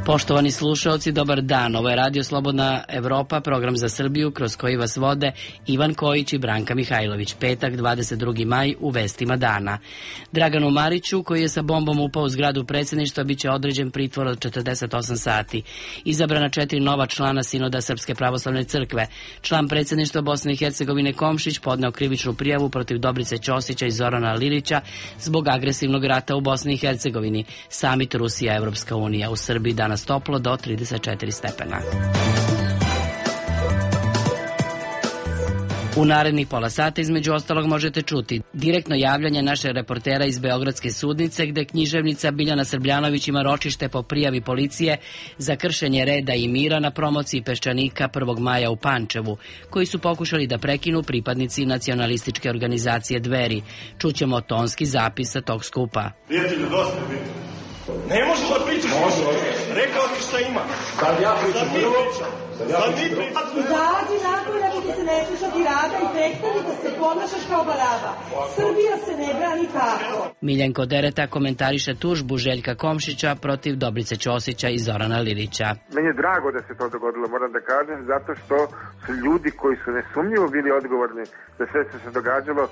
Poštovani slušaoci, dobar dan. Ovo je Radio Slobodna Evropa, program za Srbiju, kroz koji vas vode Ivan Kojić i Branka Mihajlović. Petak, 22. maj, u vestima dana. Draganu Mariću, koji je sa bombom upao u zgradu predsjedništva, bit će određen pritvor od 48 sati. Izabrana 4 nova člana Sinoda Srpske pravoslavne crkve. Član predsjedništva Bosne i Hercegovine Komšić podneo krivičnu prijavu protiv Dobrice Ćosića i Zorana Lilića zbog agresivnog rata u Bosni i Hercegovini. Samit Rusija, Evropska unija. U Srbiji danas toplo do 34 stepena. U narednih pola sata između ostalog možete čuti direktno javljanje našeg reportera iz Beogradske sudnice, gde književnica Biljana Srbljanović ima ročište po prijavi policije za kršenje reda i mira na promociji Peščanika 1. maja u Pančevu, koji su pokušali da prekinu pripadnici nacionalističke organizacije Dveri. Čućemo tonski zapis sa tog skupa. Prijatelju, dosta je biti. Ne možeš da pričaš. Rekao ti šta ima. Sad ja pričam. Sad mi pričam. Izađi napolje ako ti se ne sluša tirada i prestani da se ponašaš kao baraba. Srbija se ne brani tako. Miljenko Dereta komentariše tužbu Željka Komšića protiv Dobrice Ćosića i Zorana Lilića. Meni je drago da se to dogodilo, moram da kažem, zato što su ljudi koji su nesumnjivo bili odgovorni za sve što se događalo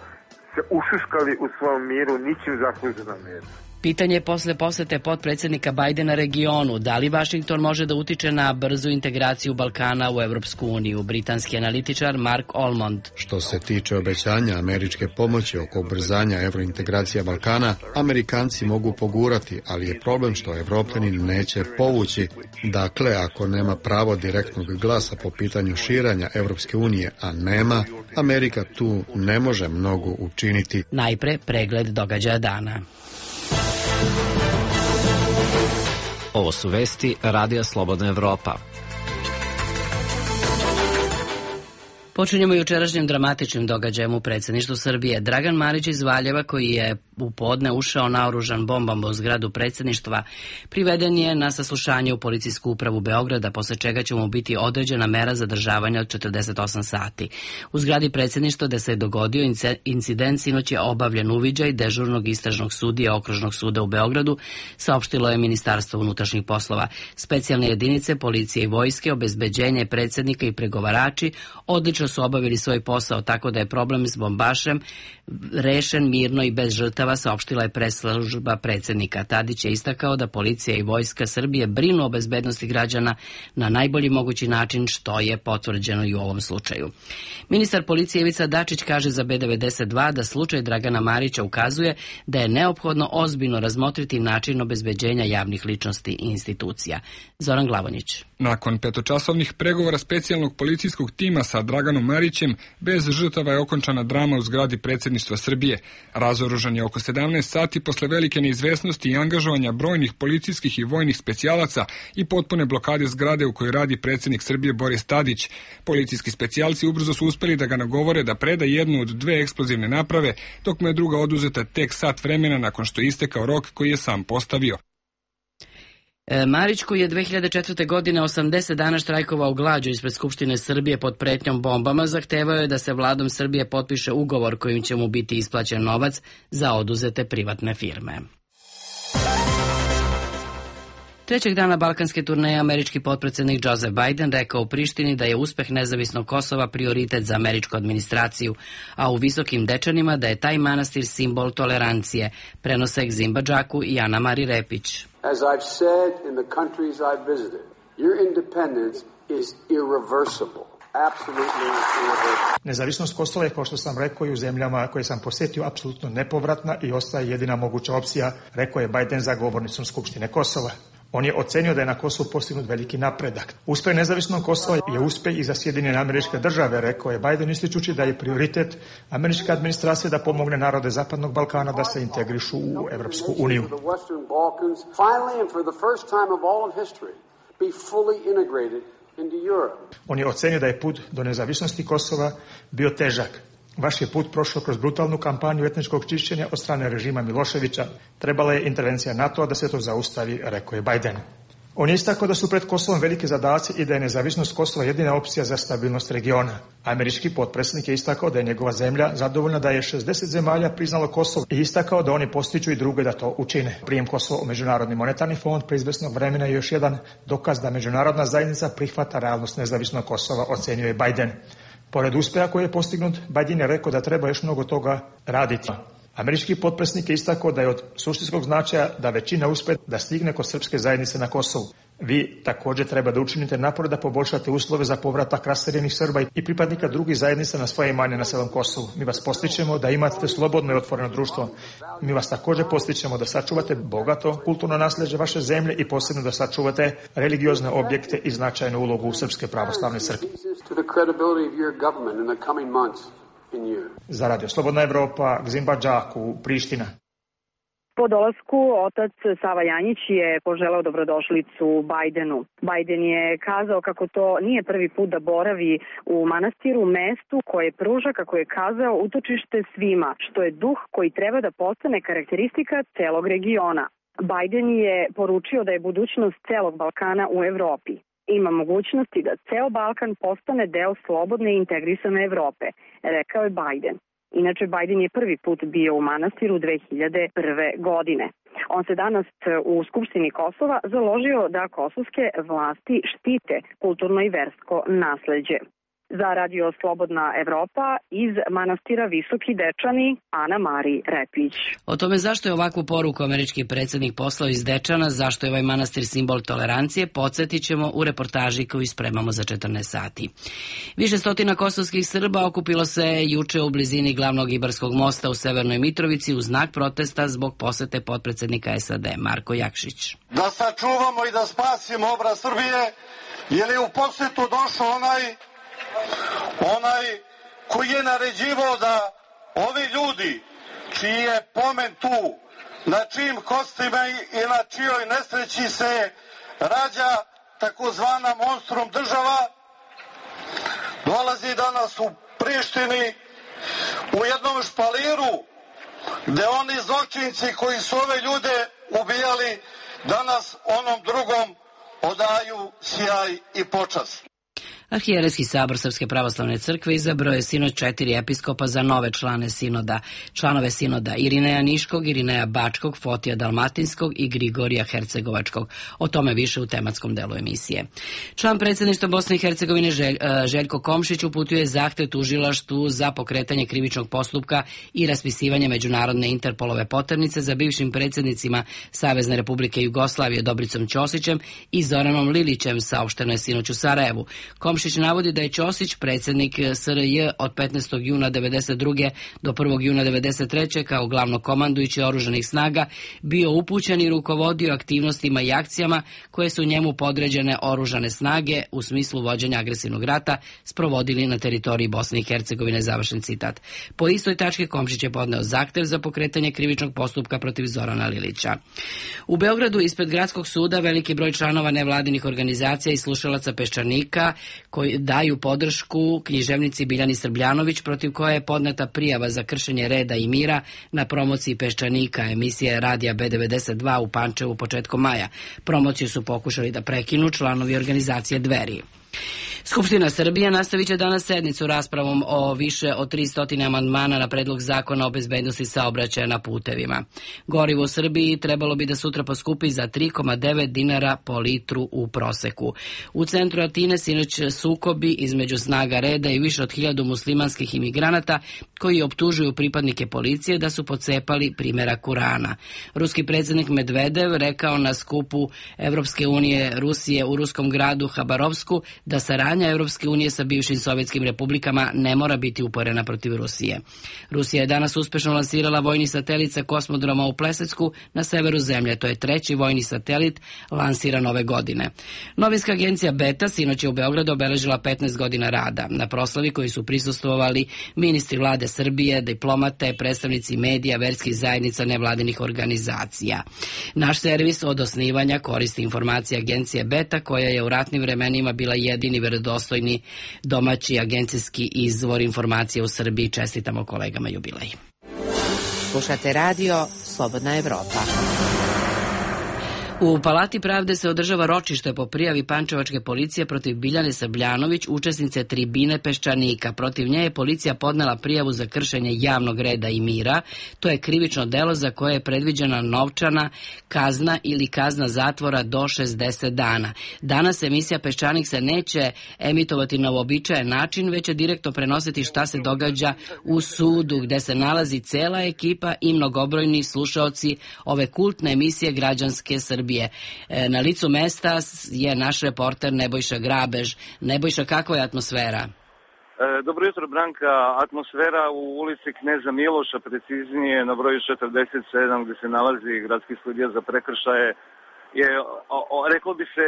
se ušuškali u svom miru, ničim zasluženom miru. Pitanje je posle posete potpredsjednika Bajdena regionu. Da li Vašington može da utiče na brzu integraciju Balkana u Evropsku uniju? Britanski analitičar Mark Olmond. Što se tiče obećanja američke pomoći oko ubrzanja evrointegracija Balkana, Amerikanci mogu pogurati, ali je problem što Evropljani neće povući. Dakle, ako nema pravo direktnog glasa po pitanju širanja Evropske unije, a nema, Amerika tu ne može mnogo učiniti. Najpre pregled događaja dana. Ovo su vesti Radija Slobodna Evropa. Počinjemo jučerašnjim dramatičnim događajem u predsjedništvu Srbije. Dragan Marić iz Valjeva, koji je u podne ušao naoružan bombama u zgradu predsjedništva, priveden je na saslušanje u policijsku upravu Beograda, posle čega će mu biti određena mera zadržavanja od 48 sati. U zgradi predsjedništva gde se je dogodio incident sinoć je obavljen uviđaj dežurnog istražnog sudija Okružnog suda u Beogradu, saopštilo je Ministarstvo unutrašnjih poslova. Specijalne jedinice policije i vojske, obezbeđenje predsjednika i pregovarači odlično su obavili svoj posao, tako da je problem s bombašem rešen mirno i bez žrtava, saopštila je press-služba predsjednika. Tadić je istakao da policija i vojska Srbije brinu o bezbednosti građana na najbolji mogući način, što je potvrđeno i u ovom slučaju. Ministar policije Ivica Dačić kaže za B92 da slučaj Dragana Marića ukazuje da je neophodno ozbiljno razmotriti način obezbeđenja javnih ličnosti i institucija. Zoran Glavonjić. Nakon petočasovnih pregovora specijalnog policijskog tima sa Draganom Marićem, bez žrtava je okončana drama u zgradi predsjedništva Srbije. Razoružan je oko 17 sati posle velike neizvesnosti i angažovanja brojnih policijskih i vojnih specijalaca i potpune blokade zgrade u kojoj radi predsjednik Srbije Boris Tadić. Policijski specijalci ubrzo su uspeli da ga nagovore da preda jednu od 2 eksplozivne naprave, dok mu je druga oduzeta tek sat vremena nakon što je istekao rok koji je sam postavio. Marić, koji je 2004. godine 80 dana štrajkovao glađu ispred Skupštine Srbije pod pretnjom bombama, zahtevao je da se vladom Srbije potpiše ugovor kojim će mu biti isplaćen novac za oduzete privatne firme. Trećeg dana balkanske turneje američki potpredsjednik Joseph Biden rekao u Prištini da je uspeh nezavisnog Kosova prioritet za američku administraciju, a u Visokim Dečanima da je taj manastir simbol tolerancije, prenose Egzimba Džaku i Ana Mari Repić. As I've said in the countries I've visited, your independence is irreversible. Nezavisnost Kosova je, kao što sam rekao, i u zemljama koje sam posjetio apsolutno nepovratna i ostaje jedina moguća opcija, rekao je Biden za govornicom Skupštine Kosova. On je ocenio da je na Kosovu postignut veliki napredak. Uspeh nezavisnog Kosova je uspeh i za Sjedinjene Američke Države, rekao je Biden, ističući da je prioritet američke administracije da pomogne narode Zapadnog Balkana da se integrišu u Evropsku uniju. On je ocenio da je put do nezavisnosti Kosova bio težak. Vaš je put prošao kroz brutalnu kampanju etničkog čišćenja od strane režima Miloševića. Trebala je intervencija NATO-a da se to zaustavi, rekao je Biden. On je istakao da su pred Kosovom velike zadaci i da je nezavisnost Kosova jedina opcija za stabilnost regiona. Američki potpredsjednik je istakao da je njegova zemlja zadovoljna da je 60 zemalja priznalo Kosovo i istakao da oni postiču i druge da to učine. Prijem Kosova u Međunarodni monetarni fond pre izvesnog vremena je još jedan dokaz da međunarodna zajednica prihvata realnost nezavisnog Kosova, ocenio je Biden. Pored uspeha koji je postignut, Biden je rekao da treba još mnogo toga raditi. Američki potpredsjednik je istakao da je od suštinskog značaja da većina uspe da stigne kod srpske zajednice na Kosovu. Vi također treba da učinite napore da poboljšate uslove za povratak raseljenih Srba i pripadnika drugih zajednica na svoje imanje na celom Kosovu. Mi vas postičemo da imate slobodno i otvoreno društvo. Mi vas također postičemo da sačuvate bogato kulturno nasljeđe vaše zemlje i posebno da sačuvate religiozne objekte i značajnu ulogu Srpske pravoslavne crkve. Za Radio Slobodna Evropa, Gzimba Džaku, Priština. Po dolasku otac Sava Janjić je poželao dobrodošlicu Bajdenu. Bajden je kazao kako to nije prvi put da boravi u manastiru, mestu koje pruža, kako je kazao, utočište svima, što je duh koji treba da postane karakteristika celog regiona. Bajden je poručio da je budućnost celog Balkana u Evropi. Ima mogućnosti da ceo Balkan postane deo slobodne i integrisane Evrope, rekao je Bajden. Inače, Bajden je prvi put bio u manastiru 2001. godine. On se danas u Skupštini Kosova založio da kosovske vlasti štite kulturno i versko nasleđe. Za Radio Slobodna Evropa iz manastira Visoki Dečani, Ana Mari Repić. O tome zašto je ovakvu poruku američki predsjednik poslao iz Dečana, zašto je ovaj manastir simbol tolerancije, podsjetit ćemo u reportaži koju spremamo za 14 sati. Više stotina kosovskih Srba okupilo se juče u blizini glavnog Ibarskog mosta u Severnoj Mitrovici u znak protesta zbog posete potpredsjednika SAD Marko Jakšić. Da sačuvamo i da spasimo obraz Srbije, jer je u posetu došao onaj koji je naređivao da ovi ljudi čiji je pomen tu, na čijim kostima i na čijoj nesreći se rađa takozvana monstrum država, dolazi danas u Prištini u jednom špaliru gde oni zločinci koji su ove ljude ubijali danas onom drugom odaju sjaj i počast. Arhijerejski sabor Srpske pravoslavne crkve izabrao je sinoć 4 episkopa za nove članove sinoda Irineja Niškog, Irineja Bačkog, Fotija Dalmatinskog i Grigorija Hercegovačkog. O tome više u tematskom delu emisije. Član predsjedništva Bosne i Hercegovine Željko Komšić uputio je zahtev tužilaštvu za pokretanje krivičnog postupka i raspisivanje međunarodne Interpolove poternice za bivšim predsjednicima Savezne Republike Jugoslavije Dobricom Ćosićem i Zoranom Lilićem, saopšteno je sinoć u Sarajevu. Komšić navodi da je Ćosić, predsjednik SRJ od 15. juna 1992. do 1. juna 1993. kao glavnokomandujući oružanih snaga bio upućen i rukovodio aktivnostima i akcijama koje su njemu podređene oružane snage u smislu vođenja agresivnog rata sprovodili na teritoriji Bosne i Hercegovine, završen citat. Po istoj tački Komšić je podneo zahtev za pokretanje krivičnog postupka protiv Zorana Lilića. U Beogradu ispred Gradskog suda veliki broj članova nevladinih organizacija i slušalaca Peščanika koji daju podršku književnici Biljani Srbljanović, protiv koje je podneta prijava za kršenje reda i mira na promociji Peščanika, emisije radija B92 u Pančevu početkom maja. Promociju su pokušali da prekinu članovi organizacije Dveri. Skupština Srbije nastavit će danas sednicu raspravom o više od 300 amandmana na predlog zakona o bezbednosti saobraćaja na putevima. Gorivo u Srbiji trebalo bi da sutra poskupi za 3,9 dinara po litru u proseku. U centru Atine sinoć sukobi između snaga reda i više od 1000 muslimanskih imigranata koji optužuju pripadnike policije da su pocepali primjerak Kurana. Ruski predsjednik Medvedev rekao na skupu Evropske unije Rusije u ruskom gradu Habarovsku da saradnja Evropske unije sa bivšim sovjetskim republikama ne mora biti uporena protiv Rusije. Rusija je danas uspešno lansirala vojni satelit sa kosmodroma u Plesecku na severu zemlje. To je 3. vojni satelit lansiran ove godine. Novinska agencija Beta sinoć je u Beogradu obeležila 15 godina rada. Na proslavi koji su prisustvovali ministri vlade Srbije, diplomate, predstavnici medija, verskih zajednica, nevladinih organizacija. Naš servis od osnivanja koristi informacije agencije Beta, koja je u ratnim vremenima bila jedini verodostojni domaći agencijski izvor informacije u Srbiji. Čestitamo kolegama jubilej. Slušate radio Slobodna Evropa. U Palati pravde se održava ročište po prijavi pančevačke policije protiv Biljane Srbljanović, učesnice tribine Peščanika. Protiv nje je policija podnela prijavu za kršenje javnog reda i mira. To je krivično delo za koje je predviđena novčana kazna ili kazna zatvora do 60 dana. Danas emisija Peščanik se neće emitovati na uobičajen način, već će direktno prenositi šta se događa u sudu, gde se nalazi cela ekipa i mnogobrojni slušaoci ove kultne emisije Građanske Srbije. Na licu mesta je naš reporter Nebojša Grabež. Nebojša, kakva je atmosfera? Dobro jutro, Branka. Atmosfera u ulici Kneza Miloša, preciznije na broju 47 gde se nalazi gradski sudija za prekršaje, je, reklo bi se,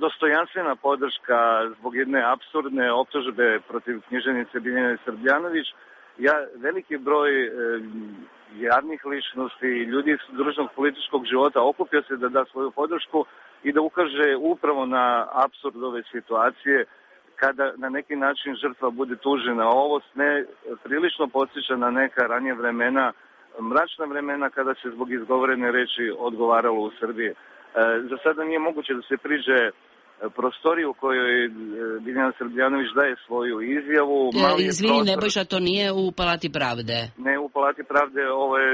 dostojanstvena podrška zbog jedne apsurdne optužbe protiv književnice Biljane Srbljanović. Veliki broj javnih ličnosti, ljudi iz društvenog političkog života okupio se da da svoju podršku i da ukaže upravo na apsurd ove situacije kada na neki način žrtva bude tužena. Ovo ne prilično podsjeća na neka ranije vremena, mračna vremena kada se zbog izgovorene reči odgovaralo u Srbiji. Za sada nije moguće da se priđe prostoriju u kojoj Biljana Srbljanović daje svoju izjavu. Izvini, Nebojša, to nije u Palati pravde? Ne, u Palati pravde, ovo je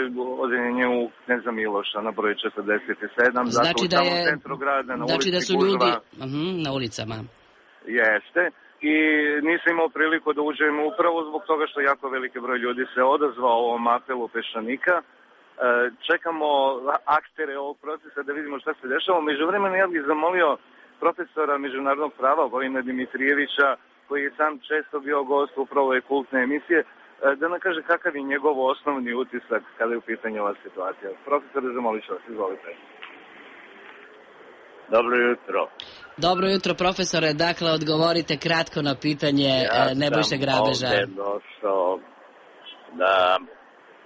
odeljenje u Kneza Miloša na broju 47. Znači da je, u centru grada, na znači da su ljudi na ulicama. Jeste. I nisam imao priliku da uđem upravo zbog toga što jako veliki broj ljudi se odazvao ovom apelu Peščanika. Čekamo aktere ovog procesa da vidimo šta se dešava. Međuvremeno ja bih zamolio profesora međunarodnog prava Vojina Dimitrijevića, koji je sam često bio gost upravo ove kultne emisije, da nam kaže kakav je njegov osnovni utisak kada je u pitanju ova situacija. Profesore, zamolit ću vas, izvolite. Dobro jutro. Dobro jutro, profesore. Dakle, odgovorite kratko na pitanje Nebojše Grabeža. Ja sam ovde došao da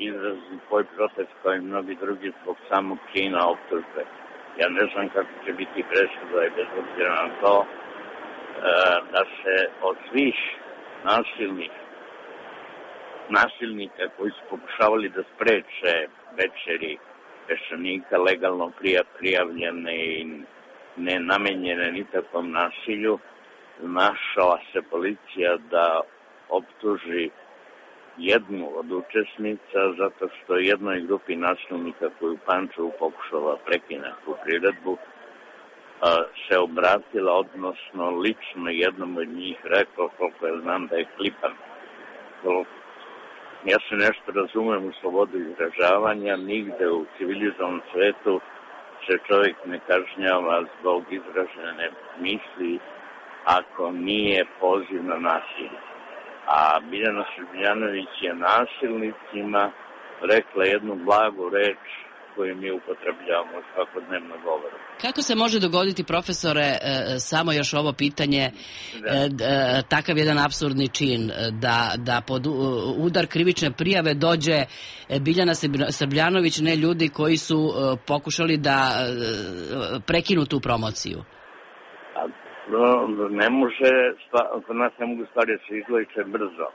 izrazim svoj protest kao i mnogi drugi zbog samog čina optužbe. Ja ne znam kako će biti presuda i bez obzira na to da se od svih nasilnika koji su pokušavali da spreče večeri Peščanika legalno prijavljene i nenamenjene nikakvom nasilju, našla se policija da optuži jednu od učesnica zato što jednoj grupi nasilnika koju u Pančevu pokušala prekine tu priredbu se obratila, odnosno lično jednom od njih rekao, koliko ja znam, da je klipan. Ja se nešto razumem u slobodu izražavanja, nigde u civilizovanom svetu se čovjek ne kažnjava zbog izražene misli ako nije poziv na nasilje. A Biljana Srbljanović je nasilnicima rekla jednu blagu reč koju mi upotrebljavamo u svakodnevnom govoru. Kako se može dogoditi, profesore, samo još ovo pitanje, takav jedan apsurdni čin, da pod udar krivične prijave dođe Biljana Srbljanović, ne ljudi koji su pokušali da prekinu tu promociju? Ne može, kod nas ne mogu stvari da se izvlače brzo,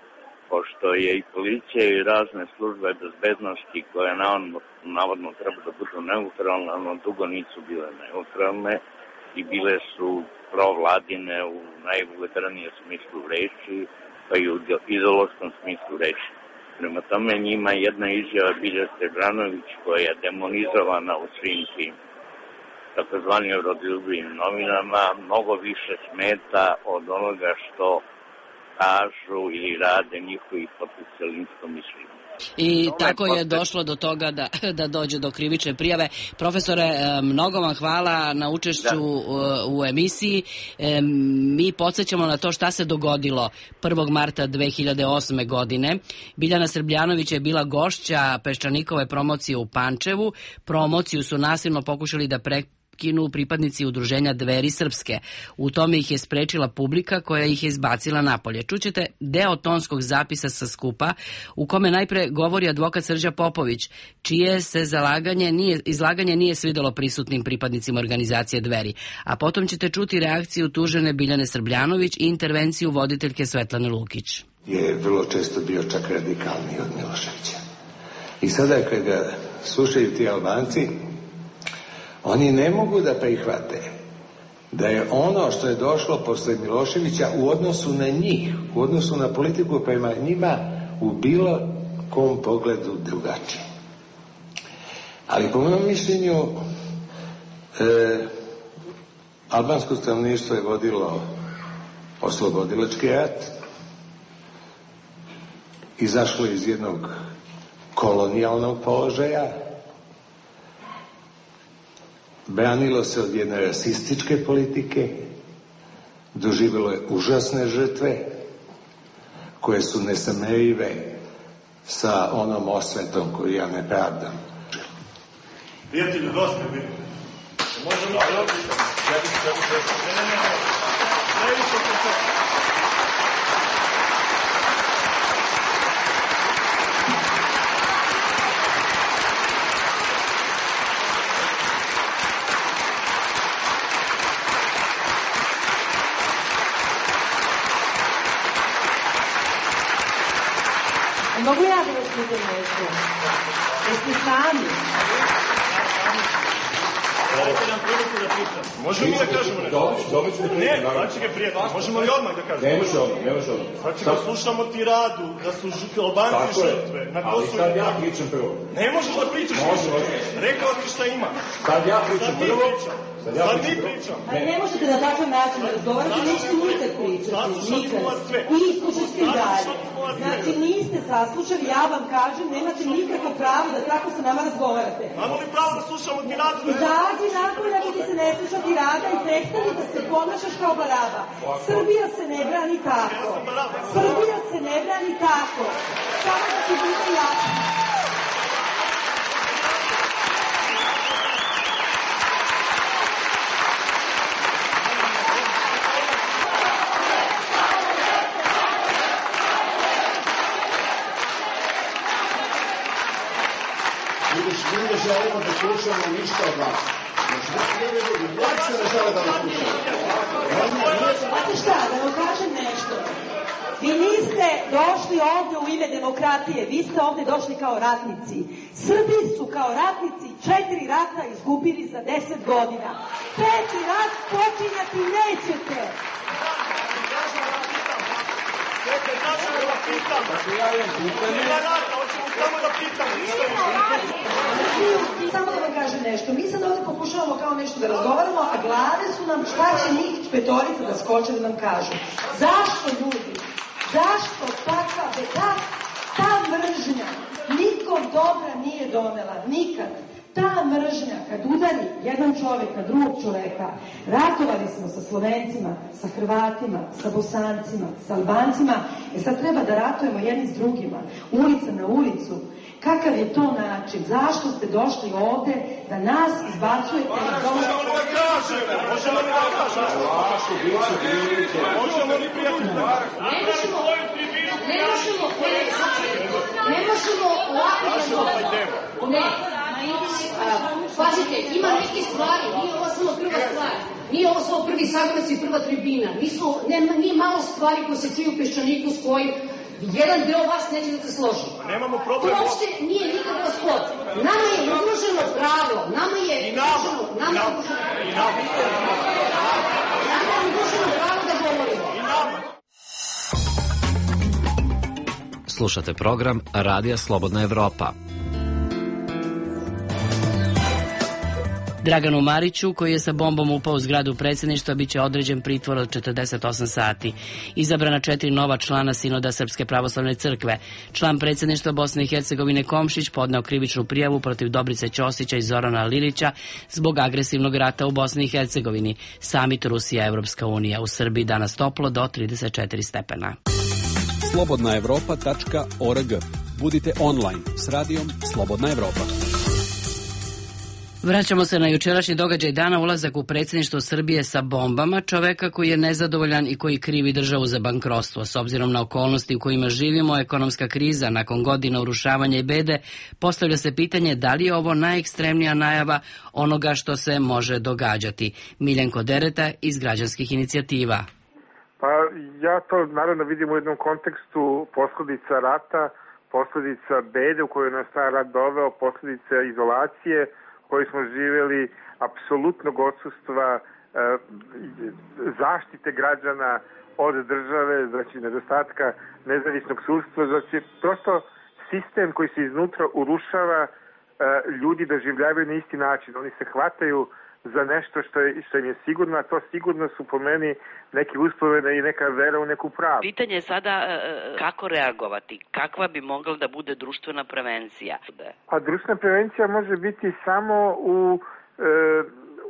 pošto je i policija i razne službe bezbednosti koje navodno treba da budu neutralne, ono dugo nisu bile neutralne i bile su provladine u najvulgarnijem smislu reči, pa i u ideološkom smislu reči. Prema tome njima jedna izjava Bilje Srbljanović koja je demonizovana u svim tim takozvanim rodoljubivim novinama mnogo više smeta od onoga što kažu ili rade njihovi potencijalničko mišljenje. I tako je došlo do toga da dođe do krivične prijave. Profesore, mnogo vam hvala na učešću u emisiji. Mi podsjećamo na to šta se dogodilo 1. marta 2008. godine. Biljana Srbljanović je bila gošća Peščanikove promocije u Pančevu. Promociju su nasilno pokušali da prekinu pripadnici udruženja Dveri Srpske. U tome ih je sprečila publika koja ih je izbacila napolje. Čućete deo tonskog zapisa sa skupa u kome najpre govori advokat Srđa Popović, čije se izlaganje nije svidelo prisutnim pripadnicima organizacije Dveri. A potom ćete čuti reakciju tužene Biljane Srbljanović i intervenciju voditeljke Svetlane Lukić. Je vrlo često bio čak radikalniji od Miloševića. I sada kad ga slušaju ti Albanci, Oni ne mogu da prihvate da je ono što je došlo posle Miloševića u odnosu na njih, u odnosu na politiku prema njima, u bilo kom pogledu drugačije. Ali po mojom mišljenju albansko stanovništvo je vodilo oslobodilački rat, izašlo iz jednog kolonijalnog položaja, branilo se od jedne rasističke politike, doživjelo je užasne žrtve koje su nesamerive sa onom osvetom koju ja ne pravdam. Prijatelji, dosta je bilo. Možemo da odličamo. Previše se to. Mogu ja da vas pitam nešto? Jeste sami? Dajte nam priliku da pitam. Možemo da kažemo nešto? Dobit ću da ne, znači ga prijatelj. Možemo li odmah da kažemo? Ne može odmah. Znači da slušamo tiradu, da su Albanci žrtve. Ali sad ja pričam prvo. Ne možeš da pričaš. Rekao ti šta ima. Sad ja pričam prvo. Sad mi pričam. Ali ne možete na takav način da razgovarate, nećete nikad pričati. Nikad. I slušajte i dalje. Znači niste saslušali, ja vam kažem, nemate nikakvo pravo da tako sa nama razgovarate. Imamo li pravo da slušamo tiradu? Izađi nakon ako ti se ne sluša tirada i prestani da se ponašaš kao baraba. Srbija se ne brani tako. Srbija se ne brani tako. Samo da ti bude jasno. Mi ne želimo da slušamo ništa od vas. Uopće ne žele da nas slušamo. Znate šta, da vam kažem nešto. Vi niste došli ovde u ime demokratije, vi ste ovde došli kao ratnici. Srbi su kao ratnici 4 rata izgubili za 10 godina. 5. rat počinjati nećete. Čekaj, znači da pitam. Nema rata, hoćemo samo da pitam. Samo da vam kažem nešto. Mi sad ovdje pokušavamo kao nešto da razgovaramo, a glave su nam šta će njih petorica da skoče da nam kažu. Zašto ljudi? Zašto ta mržnja nikom dobra nije donela? Nikad. Ta mržnja, kad udari jedan čovjek na drugog čovjeka, ratovali smo sa Slovencima, sa Hrvatima, sa Bosancima, sa Albancima, sad treba da ratujemo jedni s drugima, ulica na ulicu. Kakav je to način? Zašto ste došli ovde da nas izbacujete? Možemo li da kažemo? Možemo li da kažemo? Možemo li prijatelji? Ne možemo ovako da ne. Pazite, ima neke stvari, nije ovo samo prva stvar. Nije ovo samo prvi sagonac i prva tribina. Nije malo stvari koje se čuju u Peščaniku s kojim jedan deo vas neće da se složi. Nemamo problem. Uopšte nije nikakav sport. Nama je ugroženo pravo. Nama je ugroženo pravo da govorimo. Slušate program Radija Slobodna Evropa. Draganu Mariću, koji je sa bombom upao u zgradu predsjedništva, bit će određen pritvor od 48 sati. Izabrana 4 nova člana Sinoda Srpske pravoslavne crkve. Član predsjedništva Bosne i Hercegovine Komšić podneo krivičnu prijavu protiv Dobrice Ćosića i Zorana Lilića zbog agresivnog rata u Bosni i Hercegovini. Samit Rusija-Evropska unija. U Srbiji danas toplo do 34 stepena. slobodnaevropa.org. Budite online s radijom Slobodna Evropa. Vraćamo se na jučerašnji događaj dana, ulazak u predsjedništvo Srbije sa bombama, čoveka koji je nezadovoljan i koji krivi državu za bankrotstvo. S obzirom na okolnosti u kojima živimo, ekonomska kriza nakon godina urušavanja i bede, postavlja se pitanje da li je ovo najekstremnija najava onoga što se može događati. Miljenko Dereta iz Građanskih inicijativa. Pa ja to naravno vidim u jednom kontekstu posljedica rata, posljedica bede u kojoj nas taj rat doveo, posljedica izolacije, koji smo živjeli, apsolutnog odsustva zaštite građana od države, znači nedostatka nezavisnog sudstva, znači prosto sistem koji se iznutra urušava, ljudi doživljavaju na isti način. Oni se hvataju za nešto što im je sigurno, a to sigurno su po meni neki uspomene i neka vera u neku pravu. Pitanje je sada kako reagovati, kakva bi mogla da bude društvena prevencija? A društvena prevencija može biti samo u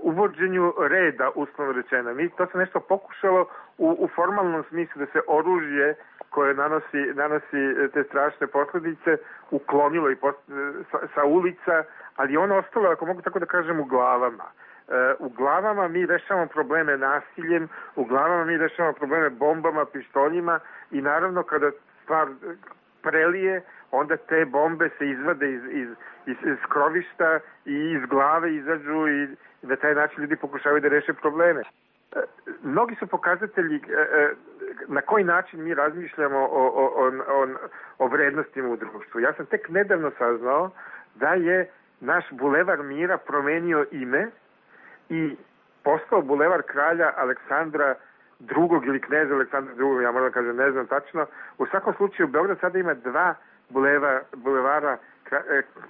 uvođenju reda, uslovno rečeno. To se nešto pokušalo u formalnom smislu da se oružje koje nanosi te strašne posljedice uklonilo i sa ulica, ali ono ostalo, ako mogu tako da kažem, u glavama. U glavama mi rešavamo probleme nasiljem, u glavama mi rešavamo probleme bombama, pištoljima i naravno kada stvar prelije, onda te bombe se izvade iz skrovišta i iz glave izađu i na taj način ljudi pokušavaju da reše probleme. Mnogi su pokazatelji na koji način mi razmišljamo o vrednostima u društvu. Ja sam tek nedavno saznao da je naš bulevar Mira promenio ime i postao bulevar kralja Aleksandra II. Ili kneza Aleksandra II. Ja moram da kažem, ne znam tačno. U svakom slučaju, Beograd sada ima 2 bulevara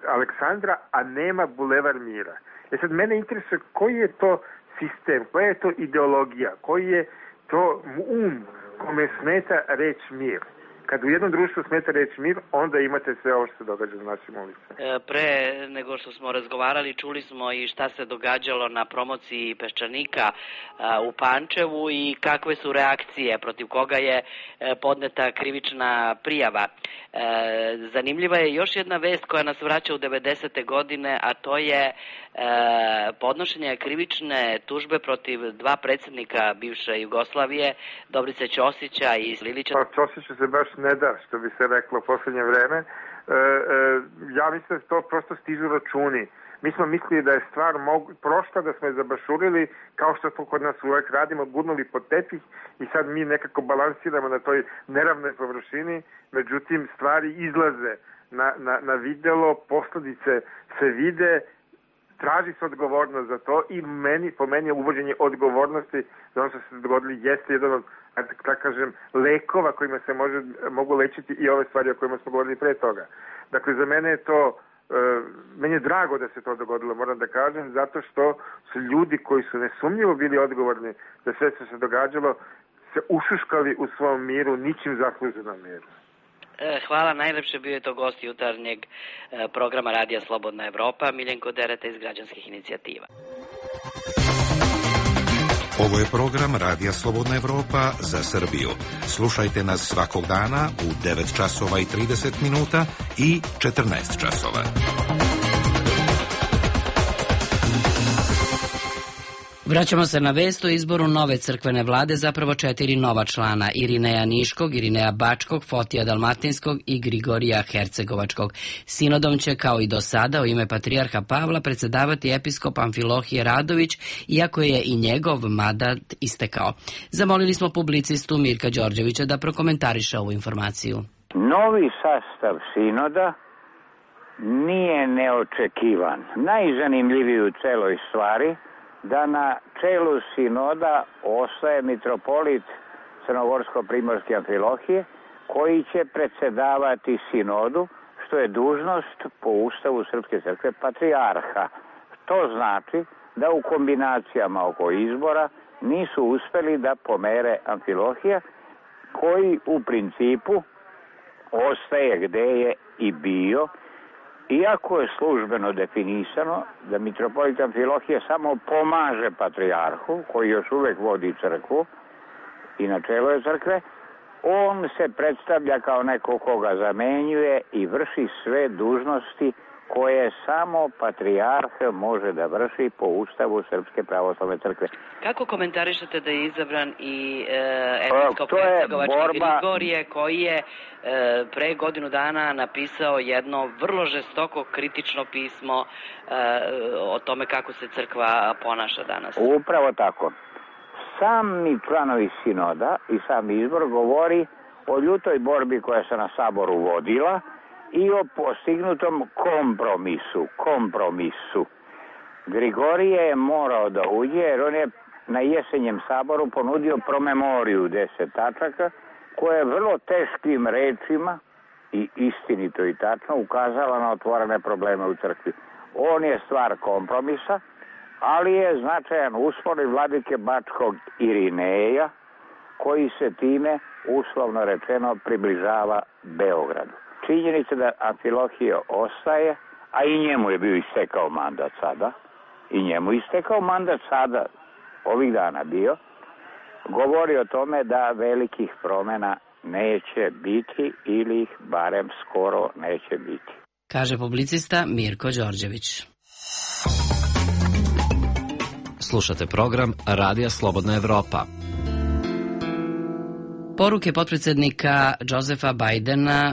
Aleksandra, a nema bulevar Mira. Sad mene interesuje koji je to sistem, koja je to ideologija, koji je to kome smeta reč mir. Kad u jednom društvu smeta reč mir, onda imate sve ovo što se događa na našim ulicama. Pre nego što smo razgovarali, čuli smo i šta se događalo na promociji Peščanika u Pančevu i kakve su reakcije, protiv koga je podneta krivična prijava. Zanimljiva je još jedna vest koja nas vraća u 90. godine, a to je podnošenje krivične tužbe protiv 2 predsjednika bivše Jugoslavije, Dobrice Ćosića i Lilića. Pa Ćosiću se baš ne da, što bi se reklo u poslednje vreme. Ja mislim da to prosto stižu računi. Mi smo mislili da je stvar prošla, da smo je zabašurili, kao što to kod nas uvek radimo, gurnuli pod tepih i sad mi nekako balansiramo na toj neravnoj površini, međutim stvari izlaze na videlo, posledice se vide, traži se odgovornost za to i po meni je uvođenje odgovornosti za ono što se dogodili jeste jedan od, tako kažem, lekova kojima se mogu lečiti i ove stvari o kojima smo govorili pre toga. Dakle, za mene je to, meni je drago da se to dogodilo, moram da kažem, zato što su ljudi koji su nesumnjivo bili odgovorni za sve što se događalo, se ušuškali u svom miru, ničim zasluženom miru. Hvala, najlepše bio je to gost jutarnjeg programa Radija Slobodna Evropa, Miljenko Dereta iz Građanskih inicijativa. Ovo je program Radija Slobodna Evropa za Srbiju. Slušajte nas svakog dana u 9 časova i 30 minuta i 14 časova. Vraćamo se na vest o izboru nove crkvene vlade, zapravo 4 nova člana, Irineja Niškog, Irineja Bačkog, Fotija Dalmatinskog i Grigorija Hercegovačkog. Sinodom će, kao i do sada, u ime patrijarha Pavla predsedavati episkop Amfilohije Radović, iako je i njegov mandat istekao. Zamolili smo publicistu Mirka Đorđevića da prokomentariše ovu informaciju. Novi sastav sinoda nije neočekivan. Najzanimljiviji u celoj stvari da na čelu sinoda ostaje mitropolit Crnogorsko-primorske Amfilohije, koji će predsedavati sinodu, što je dužnost po Ustavu Srpske crkve patrijarha. To znači da u kombinacijama oko izbora nisu uspeli da pomere Amfilohija, koji u principu ostaje gde je i bio, iako je službeno definisano da mitropolit Amfilohije samo pomaže patrijarhu, koji još uvek vodi crkvu i na čelu je crkve, on se predstavlja kao neko koga zamenjuje i vrši sve dužnosti koje samo patrijarh može da vrši po Ustavu Srpske pravoslavne crkve. Kako komentarišete da je izabran i episkop Hercegovački Grigorije, koji je pre godinu dana napisao jedno vrlo žestoko kritično pismo o tome kako se crkva ponaša danas? Upravo tako. Sami članovi sinoda i sam izbor govori o ljutoj borbi koja se na saboru vodila i o postignutom kompromisu. Grigorije je morao da uđe jer on je na jesenjem saboru ponudio promemoriju 10 tačaka koja je vrlo teškim rečima i istinito i tačno ukazala na otvorene probleme u crkvi. On je stvar kompromisa, ali je značajan uspon i vladike Bačkog Irineja koji se time, uslovno rečeno, približava Beogradu. Činjenica da Amfilohije ostaje, a i njemu je bio istekao mandat sada, ovih dana bio, govori o tome da velikih promjena neće biti ili ih barem skoro neće biti. Kaže publicista Mirko Đorđević. Slušate program Radija Slobodna Evropa. Poruke potpredsjednika Josefa Bajdena,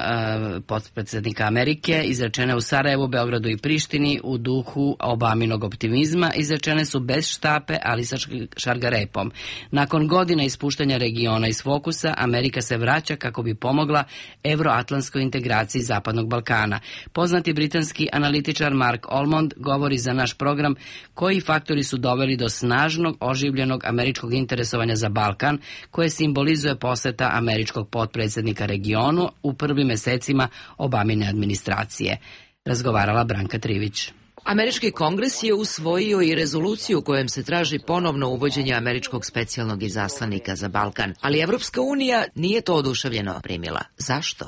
potpredsjednika Amerike, izrečene u Sarajevu, Beogradu i Prištini u duhu Obaminog optimizma, izrečene su bez štape, ali sa šargarepom. Nakon godina ispuštanja regiona iz fokusa, Amerika se vraća kako bi pomogla evroatlantskoj integraciji Zapadnog Balkana. Poznati britanski analitičar Mark Almond govori za naš program koji faktori su doveli do snažnog, oživljenog američkog interesovanja za Balkan, koje simbolizuje poseta američkog potpredsjednika regionu u prvim mesecima Obamine administracije. Razgovarala Branka Trivić. Američki kongres je usvojio i rezoluciju kojom se traži ponovno uvođenje američkog specijalnog izaslanika za Balkan, ali Evropska unija nije to oduševljeno primila. Zašto?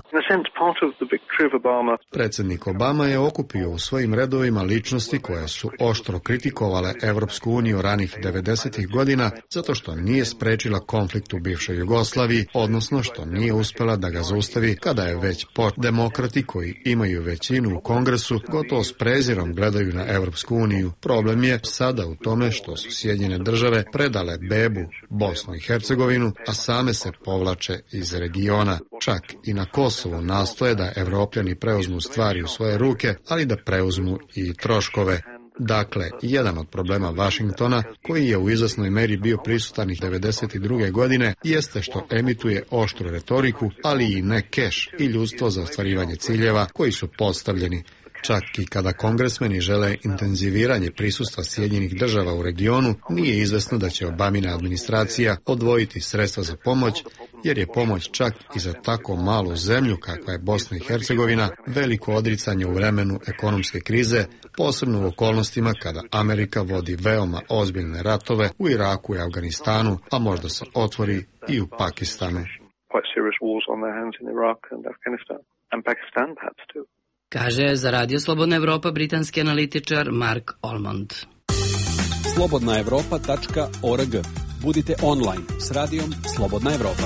Predsjednik Obama je okupio u svojim redovima ličnosti koje su oštro kritikovale Evropsku uniju ranih 90-ih godina zato što nije sprečila konflikt u bivšoj Jugoslaviji, odnosno što nije uspjela da ga zaustavi kada je već demokrati koji imaju većinu u kongresu gotovo s prezirom gledaju na Evropsku uniju. Problem je sada u tome što su Sjedinjene države predale bebu Bosnu i Hercegovinu, a same se povlače iz regiona. Čak i na Kosovu nastoje da Evropljani preuzmu stvari u svoje ruke, ali da preuzmu i troškove. Dakle, jedan od problema Vašingtona, koji je u izvesnoj meri bio prisutan i 1992. godine, jeste što emituje oštru retoriku, ali i ne keš i ljudstvo za ostvarivanje ciljeva koji su postavljeni. Čak i kada kongresmeni žele intenziviranje prisustva Sjedinjenih država u regionu, nije izvesno da će Obamina administracija odvojiti sredstva za pomoć, jer je pomoć čak i za tako malu zemlju kakva je Bosna i Hercegovina veliko odricanje u vremenu ekonomske krize, posebno u okolnostima kada Amerika vodi veoma ozbiljne ratove u Iraku i Afganistanu, a možda se otvori i u Pakistanu. Kaže za Radio Slobodna Evropa britanski analitičar Mark Almond. slobodnaevropa.org. Budite online s radijom Slobodna Evropa.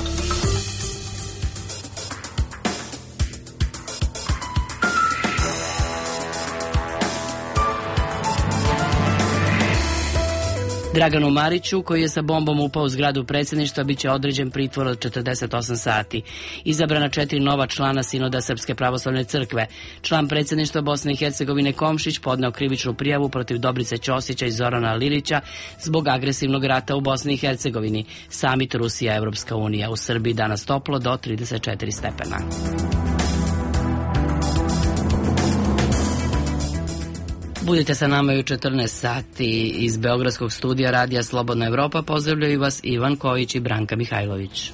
Draganu Mariću, koji je sa bombom upao u zgradu predsjedništva, bit će određen pritvor od 48 sati. Izabrana 4 nova člana Sinoda Srpske pravoslavne crkve. Član predsjedništva Bosne i Hercegovine Komšić podneo krivičnu prijavu protiv Dobrice Ćosića i Zorana Lilića zbog agresivnog rata u Bosni i Hercegovini. Samit Rusija Evropska unija. U Srbiji danas toplo do 34 stepena. Budite sa nama i u 14 sati. Iz Beogradskog studija Radija Slobodna Evropa pozdravljaju vas Ivan Kojić i Branka Mihajlović.